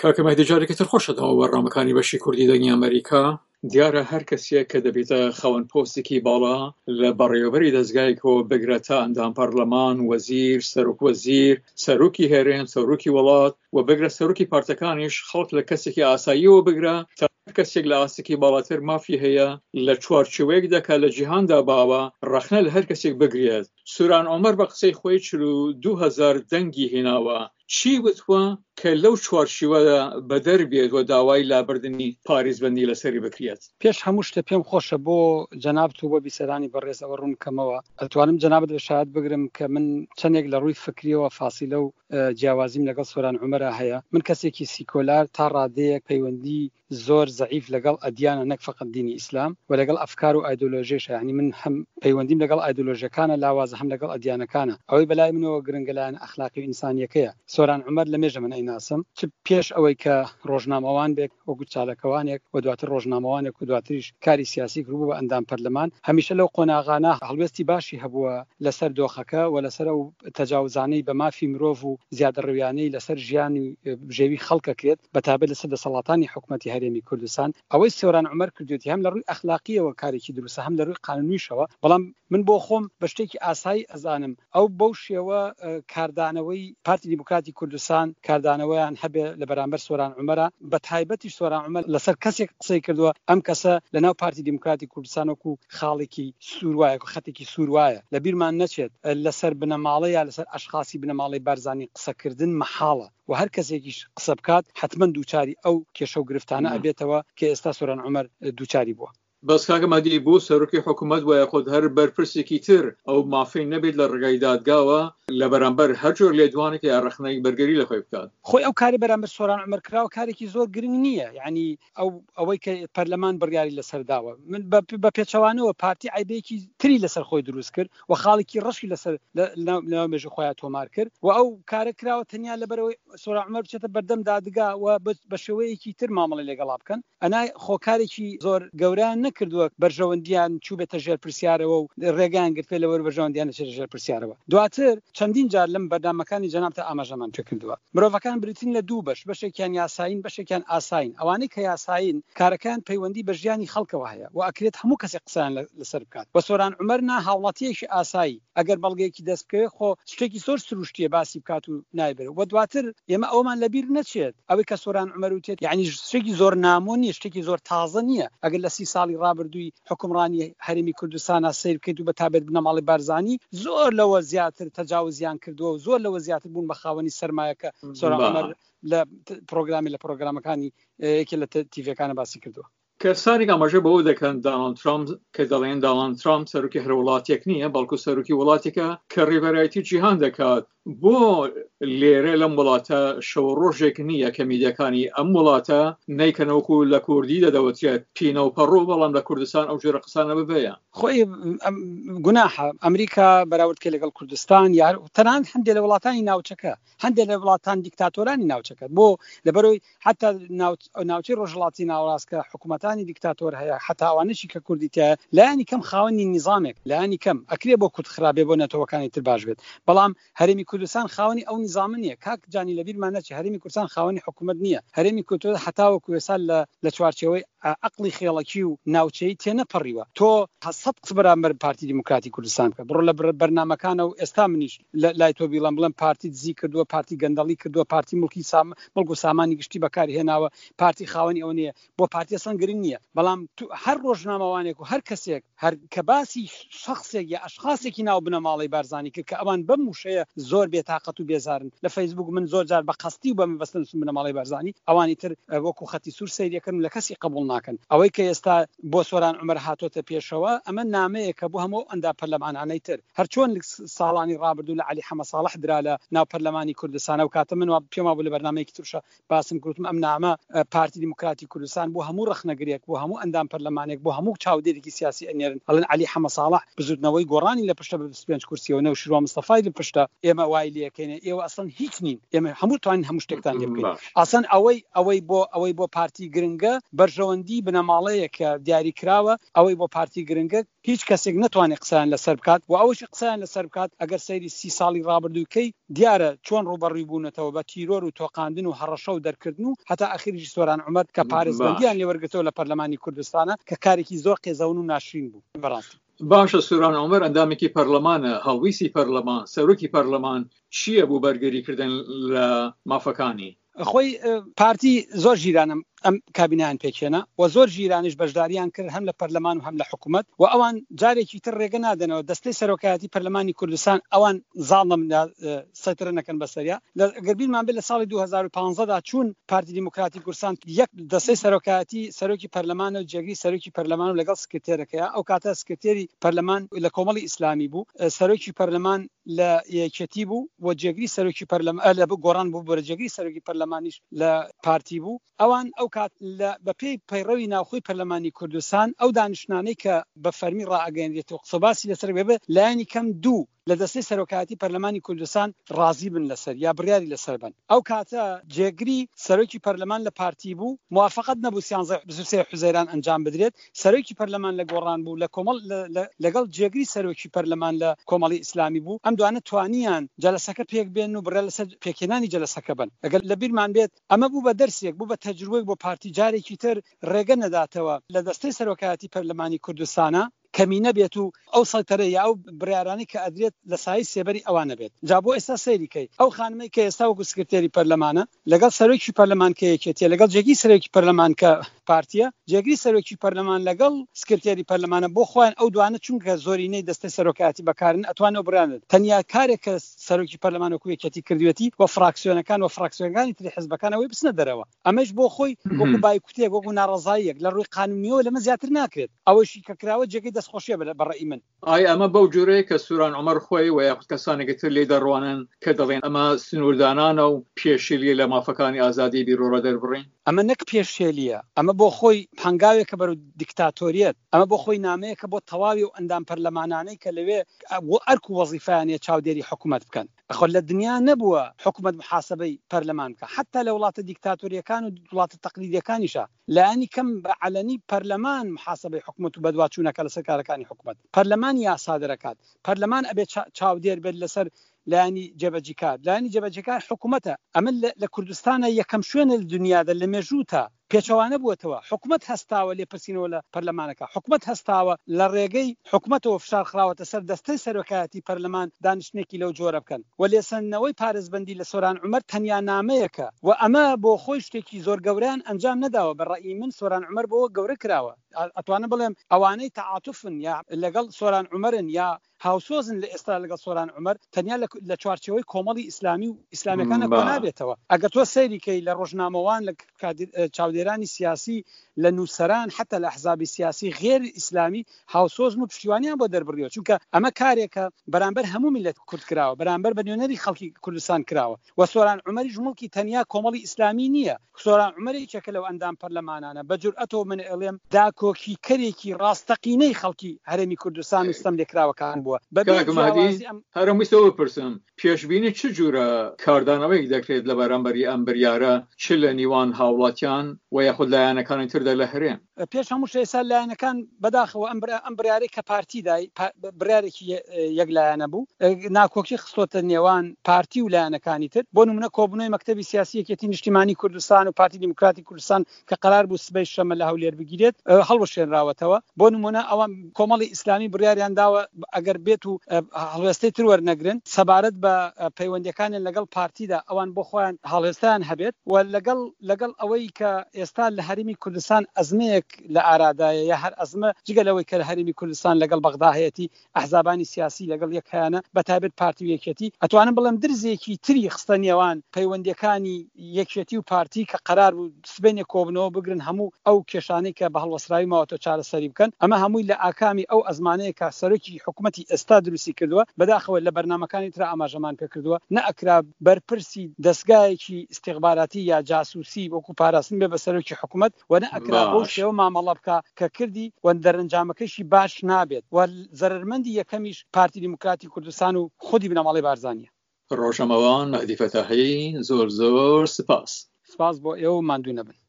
کاکە مەهدی جارێکی تر خۆشەتەوە بەرنامەکانی بەشی کوردی دەنگی ئەمریکا. دیارە هەر کەسێک کە دەبێتە خاوەن پۆستێکی باڵا لە بەڕێوەبەری دەزگایەکەوە بگرە تا ئەندام پەرلەمان، وەزیر، سەرۆک وەزیر، سەرۆکی هەرێم، سەرۆکی وڵات و بگرە سەرۆکی پارتەکانیش خەڵک لە کەسێکی ئاساییەوە بگرە تا هەر کەسێک لە ئاستێکی باڵاتر مافی هەیە لە چوارچێوەیەکدا کە لە جیهاندا باوە ڕەخنە لە هەر کەسێک بگرێت. سوران عومەر بە قسەی خۆی 42 هەزار دەنگی هێناوە، چی وتوە کە لەو چوارچیوەدا بەدەر بێت و داوای لابردنی پاریزبەندی لەسەری بکرێت؟ پێش هەموو شتێ پێم خۆشە بۆ جەنابت و بۆ بیسەرانی بەڕێز ئەوە ڕوون بکەمەوە، ئەتوانم جەنابت بە شایەت بگرم کە من چەندێک لە ڕووی فکریەوە فاسیلە و جیاوازیم لەگەڵ سۆران عومەرا هەیە، من کەسێکی سیکۆلار تا ڕادەیەک پەیوەندی زۆر زەعیف لەگەڵ ئەدیانە نەک فەقەت دینی ئیسلام و لەگەڵ ئەفکار و ئایدۆلۆژێشە یانی من هەم پەیوەندیم لەگەڵ ئایدۆلۆژەکانە لاوازە هەم لەگەڵ ئەدیانەکانە ئەوەی بەلای منەوە گرنگە لایەنە ئەخلاقی و ئینسانیەکەیە سۆران عومەر لەمێژە من ئەیناسم چ پێش ئەوەی کە ڕۆژنامەوان بێت وەکو چاالکەوانێک و دواتر ڕۆژنامەوانێک و دواتریش کاری سیاسی کردبوو بە ئەندام پەرلەمان هەمیشە لەو قۆناغانە هەڵوێستی باشی هەبووە لەسەر دۆخەکە و لەسەر ئەو تەجاوزانەی بە مافی مرۆڤ و زیادەڕەویانەی لەسەر ژیانی بژێوی خەڵک ئەکرێت بەتایبەت لەسەر دەسەڵاتانی حکومەتی هەرێمی کوردستان. ئەوەی سۆران عومەر کردوێتی هەم لە ڕووی ئەخلاقییەوە کارێکی دروستە هەم لە ڕووی قانونیشەوە، بەڵام من بۆ خۆم بە شتێکی ئاسایی ئەزانم ئەو بەو شێوە کاردانەوەی پارتی دیموکراتی کوردستان کاردانەوەیان هەبێ لە بەرامبەر سۆران عومەرا، بەتایبەتیش سۆران عومەر لەسەر کەسێک قسەی کردووە ئەم کەسە لەناو پارتی دیموکراتی کوردستان وەکو خاڵێکی سوور وایە، خەتێکی سوور وایە. لە بیرمان نەچێت لەسەر بنەماڵە یا لەسەر ئەشخاسی بنەماڵەی بارزانی قسەکردن مەحاڵە و هەر کەسێکیش قسە بکات حەتمەن دووچاری ئەو کێشە و گرفتانە ئەبێتەوە کە ئێستا سۆران عومەر دووچاری بووە. بەس کاکە مەهدی بۆ سەرۆکی حکومەت وایە خود هەر بەرپرسێکی تر ئەو مافەی نەبێت لە ڕێگای دادگاوە لە بەرامبەر هەر جۆر لێدوانێک یا ڕەخنەیەک بەرگری لە خۆی بکات. خۆی ئەو کارەی بەرامبەر سۆران عومەر کراوە کارێکی زۆر گرنگ نییە یانی ئەو ئەوەی کە پەرلەمان بڕیاری لەسەر داوە من بە پێچەوانەوە پارتی عیبێکی تری لەسەر خۆی دروست کرد و خاڵێکی ڕەشی لەسەر لەناو مێژوو خۆیان تۆمار کرد و ئەو کارە کراوە تەنیا لەبەرەوەی سۆران عومەر بچێتە بەردەم دادگا و بە شێوەیەکی تر مامەڵەی لەگەڵا بکەن ئەنا خۆکارێکی زۆر گەورەیان نەکردووە بەرژەوەندیان چووبێتە ژێر پرسیارەوە و ڕێگەیان گرتبێت لەوەر بەرژەوەندیان نەچێتە ژێر پرسیارەوە دواتر چەندین جار لەم بەرنامەکانی جەنابتا ئاماژەمان پێکردووە مرۆڤەکان بریتین لە دوو بەش بەشێکیان یاسایین بەشێکیان ئاسایین ئەوانەی کە یاسایین کارەکەیان پەیوەندی بە ژیانی خەڵکەوە هەیە و ئەکرێت هەموو کەسێک قسەیان لەسەر بکات و سۆران عومەر نا هاوڵاتیەکی ئاسایی ئەگەر بەڵگەیەکی دەست بکەوێت خۆ شتێکی زۆر سروشتیە باسی بکات و نایبرێت و دواتر ئێمە ئەوەمان لەبیر نەچێت ئەوەی کە سۆران عومەر وتێت یەعنی شتێکی زۆر نامۆ نیە شتێکی زۆر تازە نیە ئەگەر لە سی ساڵی ڕابردووی حوکمڕانی هەرێمی کوردستانا سەیر بکەیت و بە تابەت بنەماڵەی بارزانی زۆر لەوە زیاتر تەجاوزیان کردووە و زۆر لەوە زیاتر بوون بە خاوەنی سەرمایە کە سۆران عومەر لە پرۆگرامی لە پرۆگرامەکانی یەکێ لە تیڤەکانە باسی کردووە. کەسانێک ئاماژە بەوە دەکەن داناڵد ترامپ کە دەڵێن داناڵد ترامپ سەرۆکی هەر وڵاتێک نییە بەڵکو سەرۆکی وڵاتێکە کە ڕێبەرایەتی جیهان دەکات بۆ لێرە لەم وڵاتە شەو ڕۆژێک نییە کە میدیاکانی ئەم وڵاتە نیکەنەوەکو لە کوردی دەدەوترێت پینە و پەڕۆ بەڵام لە کوردستان ئەو جۆرە قسانە ببەیە. خۆی گوناحە ئەمریکا بەراورد کە لەگەڵ کوردستان یار تەنانەت هەندێک لە وڵاتانی ناوچەکە هەندێک لە وڵاتان دیکتاتۆرانی ناوچەکە بۆ لەبەرەوەی حتا ناوچەی ڕۆژهەڵاتی ناوەڕاست کە حکوومەتانی دیکتاتۆر هەیە حتا ئەوانەشی کە کوردی تایە لایەنی کەم خاوەنی نیزامێک لایەنی کەم ئەکرێ بۆ کورد خراپ بێ بۆ نەتەوەکانی تر باش بێت بەڵام هەرێمی کوردستان خاوەنی ئەو نیزامە نییە کاک جانی لەبیرمان نەچێ هەرێمی کوردستان خاوەنی حکوومەت نییە هەرێمی کوردستان هەتاوەکو ئێستا لە لە چوارچێوەی عەقڵی خێڵەکی و ناوچەیی تێنەپەڕیوە تۆ سەد قسە بەرامبەر پارتی دیموکراتی کوردستان بکە بڕۆ لە بەرنامەکانە و ئێستا منیش لای تۆ بیڵێم بڵێم پارتی دزی کردووە پارتی گەندەڵی کردووە پارتی مڵکی سام مڵک و سامانی گشتی بەکار هێناوە پارتی خاوەنی ئەوە نییە بۆ پارتی ئەسڵەن گرنگ نییە بەڵام هەر ڕۆژنامەوانێک و هەر کەسێک هەر کە باسی شخصێک یا ئەشخاصێکی ناو بنەماڵەی بارزانی کرد کە ئەوان بەم وشەیە زۆر بێتاقەت و بێزارن لە فەیسبوک من زۆر جار بە قەستی و بە مەبەست نووسم بنەماڵەی بارزانی ئەوانی تر وەکو خەتی سوور سەیریەکەن و لە کەسی قبوڵ ناکەن ئەوەی کە ئێستا بۆ سۆران عومەر هاتۆتە پێشەوە ئەمە نامەیەکە بۆ هەموو ئەو ئەندام پەرلەمانانەی تر هەرچۆن ساڵانی ڕابردوو لە عەلی حەمە ساڵح درا لە ناو پەرلەمانی کوردستان ئەو کاتە من وا پێم وابوو لە بەرنامەیەکی ترشە باسم کردم ئەم نامە پارتی دیموکراتی کوردستان بۆ هەموو ڕەخنەگرێک. لایەنگرێک، بۆ هەموو ئەندام پەرلەمانێک، بۆ هەموو چاودێرێکی سیاسی ئەنێرن ئەڵێن عەلی حەمەساڵح بزوتنەوەی گۆڕانی لە پشتە بە 25 کورسیەوە، نەوشیروان مستەفای لە پشتە، ئێمە وای لێکەینە، ئێوە ئەسڵەن هیچ نین، ئێمە هەموو توانین هەموو شتێکتان لێ بکەین. ئەسڵەن ئەوەی ئەوەی بۆ ئەوەی بۆ پارتی گرنگە بەرژەوەندی بنەماڵەیە کە دیاری کراوە، ئەوەی بۆ پارتی گرنگە هیچ کەسێک نەتوانێت قسەیان لەسەر بکات و ئەوەشی قسەیان لەسەر بکات ئەگەر سەیری سی ساڵی ڕابردووی کەی دیارە چۆن ڕووبەڕووی بوونەتەوە بە تیرۆر و تۆقاندن و هەڕەشە و دەرکردن و هەتا ئەخیریش سۆران عومەر کە پارێزبەندیان لێ وەرگرتەوە لە پەرلەمانی کوردستانە کە کارێکی زۆر قێزەون و ناشرین بوو بەڕاستی. باشە سۆران عومەر ئەندامێکی پەرلەمانە هەڵویستی پەرلەمان سەرۆکی پەرلەمان چییە بۆ بەرگری کردن لە مافەکانی؟ خۆی پارتی زۆر ژیرانە ئەم کابینیان پێکهێنا و زۆر ژیرانیش بەشداریان کرد هەم لە پەرلەمان و هەم لە حکوومەت و ئەوان جارێکی تر ڕێگە نادەنەوە دەستەی سەرۆکایەتی پەرلەمانی کوردستان ئەوان زاڵم سەیتەرە نەکەن بەسەریا گەر بیرمان بێت لە ساڵی 2015 دا چوون پارتی دیموکراتی کوردستان یەک دەستەی سەرۆکایەتی سەرۆکی پەرلەمان و جێگری سەرۆکی پەرلەمان و لەگەڵ سکرتێرەکەی ئەو کاتە سکرتێری پەرلەمان لە کۆمەڵی ئیسلامی بوو سەرۆکی پەرلەمان لە یەکێتی بوو و جێگری سەرۆکی پەرلەمان لە گۆڕان بوو بۆرە جێگری سەرۆکی پەرلەمانیش لە پارتی بوو ئەوان ئەو کات لە بەپێی پەیڕەوی ناوخۆی پەرلەمانی کوردستان ئەو دانیشتنانەی کە بە فەرمی ڕائەگەیەنرێت و قسەباسی لەسەر بێ لایەنی کەم دوو لە دەستەی سەرۆکایەتی پەرلەمانی کوردستان ڕازی بن لەسەر یا بڕیاری لەسەر بن ئەو کاتە جێگری سەرۆکی پەرلەمان لە پارتی بوو موافقەت نەبوو سیانزە 23 حوزەیران ئەنجام بدرێت سەرۆکی پەرلەمان لە گۆڕان بوو لە کۆمەڵ لەگەڵ جێگری سەرۆکی پەرلەمان لە کۆمەڵی ئیسلامی بوو، ئەم دوانە توانیان جەلەسەکە پێک بێنن و بڕیار لەسەر پێکهێنانی جەلەسەکە بەن. ئەگەر لە بیرمان بێت ئەمە بوو بە دەرسێک، بوو بە تەجروبەیەک بۆ پارتی جارێکی تر ڕێگە نەداتەوە لە دەستەی سەرۆکایەتی پەرلەمانی کوردستانا کەمینە بێت و ئەو سەیتەرە یا ئەو بڕیارانەی کە ئەدرێت لە سایەی سێبەری ئەوانە بێت. جا بۆ ئێستا سەیری کەی ئەو خانمەی کە ئێستا وەکو سکرتێری پەرلەمانە لەگەڵ سەرۆکی پەرلەمان کە یەکێتیە لەگەڵ جێگری سەرۆکی پەرلەمان کە پارتیە جێگری سەرۆکی پەرلەمان لەگەڵ سکرتێری پەرلەمانە بۆ خۆیان ئەو دوانە چونکە زۆرینەی دەستەی سەرۆکایەتی بەکارن ئەتوان ئەو بڕیارە بدەن تەنیا کارێک کە سەرۆکی پەرلەمان وەکو یەکێتی کردوێتی و فراکسیۆنەکان و فراکسیۆنەکانی تری حزبەکان ئەوەی بچنە دەرەوە ئەمەش بۆ خۆی وەکو بایکوتێک وەکو ناڕەزاییەک لە ڕووی قانونیەوە لەمە زیاتر ناکرێت ئەوەشی کە کراوە جێگەی دەستخۆشیە بە ڕەئی من. ئایا ئەمە بەو جۆرەیە کە سوران عومەر خۆی و یاخود کەسانێکی تر لێی دەڕوانن کە دەڵێن ئەمە سنووردانانە و پێشێلییە لە مافەکانی ئازادیی بیروڕا دەربڕین؟ ئەمە نەک پێشێلییە، ئەمە بۆ خۆی هەنگاوێکە بەرەو دیکتاتۆریەت، ئەمە بۆ خۆی نامەیەکە بۆ تەواوی ئەو ئەندام پەرلەمانانەی کە لەوێ ئەرک و وەزیفەیان هەیە چاودێری حکومەت بکەن. ئەخۆ لە دنیا نەبووە حکومەت موحاسەبەی پەرلەمان بکا، حەتتا لە وڵاتە دیکتاتۆرییەکان و وڵاتە تەقلیدییەکانیشا لایەنی کەم بە عەلەنی پەرلەمان محاسەبەی حکومەت و بەدواچوونەکە لەسەر کارەکانی حکومەت. پەرلەمان یاسا دەرەکات. پەرلەمان ئەبێ چاودێر بێت لەسەر لایەنی جێبەجیکار. لایەنی جێبەجێکار حکومەتە. ئەمە لە کوردستانا یەکەم شوێنە لە دنیادا لە مێژووتا پێچەوانە بووەتەوە. حکومەت هەستاوە لێپرسینەوە لە پەرلەمانەکە. حکومەت هەستاوە لە ڕێگەی حکومەتەوە فشار خراوەتە سەر دەستەی سەرۆکایەتی پەرلەمان دانیشتنێکی لەو جۆرە بکەن. و لێسەندنەوەی پارێزبەندی لە سۆران عومەر تەنیا نامەیەکە و ئەمە بۆ خۆی شتێکی زۆر گەورەیان ئەنجام نەداوە بە ڕەئی من سۆران عومەر بەوە گەورە کراوە ئەتوانم بڵێم ئەوانەی تەعاتوفن یا لەگەڵ سۆران عومەرن یا هاوسۆزن لە ئێستا لەگەڵ سۆران عومەر تەنیا لە چوارچێوەی کۆمەڵی ئیسلامی و ئیسلامیەکانە کۆ نابێتەوە ئەگەر تۆ سەیری کەی لە ڕۆژنامەوان لە چاودێرانی سیاسی لە نووسەران حتا لە ئەحزابی سیاسی غێر ئیسلامی هاوسۆزن و پشتیوانیان بۆ دەربڕیوە چونکە ئەمە کارێکە بەرامبەر هەموو میللەت کورد کراوە بەرامبەر بە نوێنەری خەڵکی کوردستان کراوە و سۆران عومەریش موڵکی تەنیا کۆمەڵی ئیسلامی نییە سۆران عومەر یەکێکە لەو ئەندام پەرلەمانانە بە جورئەتەوە من ئەڵێم داکۆکیکەرێکی ڕاستەقینەی خەڵکی هەرێمی کوردستان و ستەملێکراوەکان بووە بەبێ کاک مەهدی جیاوازی ئەم هەرم ویستەوە بپرسم پێشبینی چ جورە کاردانەوەیەک دەکرێت لە بەرامبەری ئەم بریارە چ لە نیوان هاوڵاتیان و یاخود لایەنەکانی تردا لە هەرێم؟ پێش هەموو شتێ ئێستا لایەنەکان بەداخەوە ئەم ئەم بڕیارەی کە پارتی دای بڕیارێکی یەک لایەنە بوو ناکۆکی خستۆتە نێوان پارتی و لایەنەکانی تر بۆ نمونە کۆبوونەوەی مەکتەبی سیاسی یەکێتی نیشتیمانی کوردستان و پارتی دیموکراتی کوردستان کە قەرار بوو سبەی شەمە لە هەولێر بگیرێت هەڵوەشێنراوەتەوە بۆ نمونە ئەوان کۆمەڵی ئیسلامی بڕیاریان داوە ئەگەر بێت و هەڵوێستەی تر وەرنەگرن سەبارەت بە پەیوەندیەکانیان لەگەڵ پارتیدا ئەوان بۆ خۆیان هەڵوێستەیان هەبێت و لەگەڵ لەگەڵ ئەوەی کە ئێستا لە هەرێمی کوردستان ئەزمەیەک لە ئارادایە یا هەر ئەزمە جگە لەوەی کە لە هەرێمی کوردستان لەگەڵ بەغدا هەیەتی ئەحزابانی سیاسی لەگەڵ یەک هەیانە بە تایبەت پارتی و یەکێتی ئەتوانم بڵێم درزێکی تری خستە نێوان پەیوەندیەکانی یەکێتی و پارتی کە قەرار بوو سبەینێ کۆبنەوە بگرن هەموو ئەو کێشانەی کە بە هەڵوەسراوی. تەواوی ماوەتەوە چارەسەری بکەن، ئەمە هەمووی لە ئاکامی ئەو ئەزمانەیە کە سەرۆکی حکومەتی ئێستا دروستی کردووە، بەداخەوە لە بەرنامەکانی ترا ئاماژەمان پێکردووە، نەئەکرا بەرپرسی دەزگایەکی ئیستیخباراتی یا جاسوسی وەکو پاراستن بێ بە سەرۆکی حکومەت و نەئەکرا بەو باش. شێوە مامەڵە بکا کە کردی و دەرەنجامەکەیشی باش نابێت و زەرەرمەندی یەکەمیش پارتی دیموکراتی کوردستان و خودی بنەماڵەی بارزانیە. ڕۆژنامەوان مەهدی فەتاحی زۆر زۆر سپاس. سپاس بۆ ئێوە و ماندوو نەبن.